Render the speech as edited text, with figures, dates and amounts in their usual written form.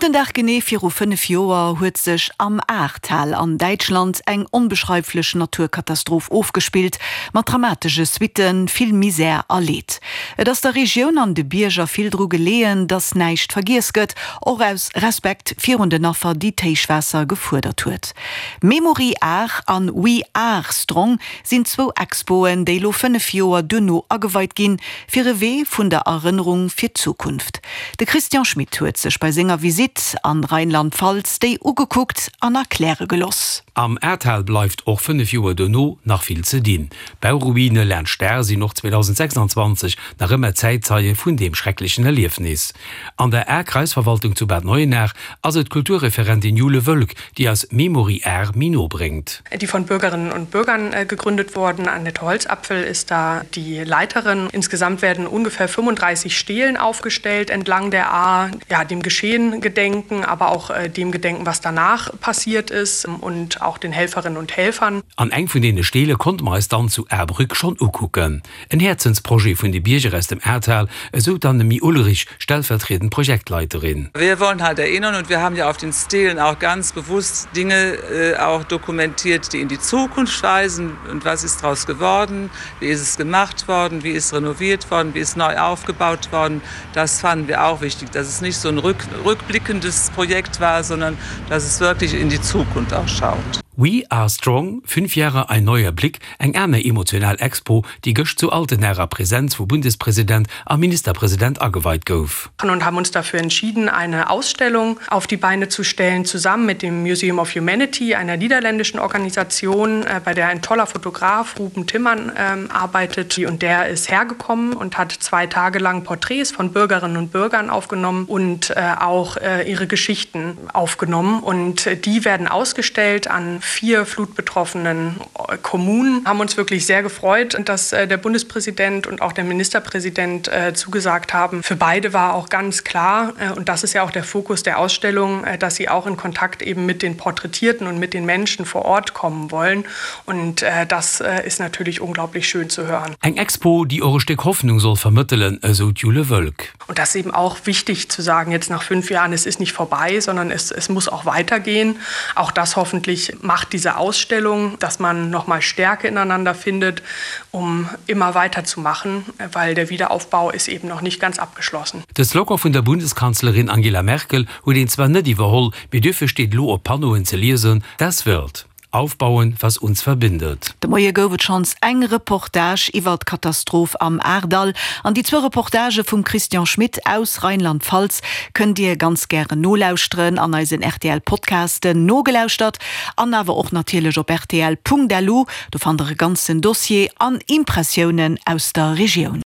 Op den Dag genee viru 5 Joer huet sech am Ahrtal an Däitschland eng onbeschreiflech Naturkatastroph ofgespillt, mat dramatesche Suitten, vill Misär a Leed. Et ass der Regioun an de Bierger vill dru geleeën, datt näischt vergiess gëtt, och aus Respekt virun den Affer, déi d'Héichwaasser gefuerdert huet. Memory Ahr an We Are Strong sinn zwou Expoen, déi lo 5 Joer duerno ageweit ginn, fir e Wee vun der Erënnerung fir d'Zukunft. De Christian Schmit huet sech bei senger Visitt an Rheinland-Pfalz déi ugekuckt an erkläre geloss. Am Ahrtal bleift och 5 Joer duerno nach vill ze dinn. D'Bauruine laanscht d'Ahr sinn och 2026 nach ëmmer Zäitzeie vun deem schrecklechen Erliefnis. An der Ahr-Kreisverwaltung zu Bad Neuenahr ass et d'Kulturreferentin Jule Wölk, déi eis Memory Ahr méi no bréngt. Die von Bürgerinnen und Bürgern gegründet wurden. Annette Holzapfel ist da die Leiterin. Insgesamt werden ungefähr 35 Stelen aufgestellt entlang der Ahr, ja, dem Geschehen gedenken, aber auch dem gedenken, was danach passiert ist und auch den Helferinnen und Helfern. An eng vun deene Stele konnte mer eis dann zu Ahrbrück schonn ukucken. En Häerzensprojet vun de Bierger aus dem Ahrtal, esou d'Annemie Ulrich, stellvertriedend Projektleiterin. Wir wollen halt erinnern und wir haben ja auf den Stelen auch ganz bewusst Dinge auch dokumentiert, die in die Zukunft weisen und was ist daraus geworden, wie ist es gemacht worden, wie ist renoviert worden, wie ist neu aufgebaut worden. Das fanden wir auch wichtig, dass es nicht so ein rückblickendes Projekt war, sondern dass es wirklich in die Zukunft auch schaut. We are strong, Fünf Jahre, ein neuer Blick, eng aner emotional Expo, déi gëscht zu Altenahr a Präsenz vu Bundespresident a Ministerpresident ageweit gouf. Und haben uns dafür entschieden, eine Ausstellung auf die Beine zu stellen, zusammen mit dem Museum of Humanity, einer niederländischen Organisation, bei der ein toller Fotograf, Ruben Timmann, arbeitet. Und der ist hergekommen und hat zwei Tage lang Porträts von Bürgerinnen und Bürgern aufgenommen und auch ihre Geschichten aufgenommen. Und die werden ausgestellt an vier flutbetroffenen Kommunen. Haben uns wirklich sehr gefreut, dass der Bundespräsident und auch der Ministerpräsident zugesagt haben. Für beide war auch ganz klar, und das ist ja auch der Fokus der Ausstellung, dass sie auch in Kontakt eben mit den Porträtierten und mit den Menschen vor Ort kommen wollen. Und das ist natürlich unglaublich schön zu hören. Eng Expo, déi och e Stéck Hoffnung soll vermëttelen, esou d'Jule Wölk. Und das ist eben auch wichtig zu sagen, jetzt nach fünf Jahren, es ist nicht vorbei, sondern es, es muss auch weitergehen. Auch das hoffentlich macht diese Ausstellung, dass man noch mal Stärke ineinander findet, um immer weiterzumachen, weil der Wiederaufbau ist eben noch nicht ganz abgeschlossen. De Slogan vun der Bundeskanzlerin Angela Merkel huet een zwar net iwwerholl, mee duerfir steet elo op Panneauen ze liesen, Das wird. Aufbauen, was uns verbindet. De Moie gouf et schonns eng Reportage iwwer d'Katastroph am Ahrtal. An déi zwou Reportagë vum Christian Schmit aus Rheinland-Pfalz kënnt Dir ganz gären nolauschteren an eisen rtl Podcasten nogelauschtert an awer och natierlech op rtl.lu. Do fannt der e ganzen Dossier an Impressiounen aus der Regioun.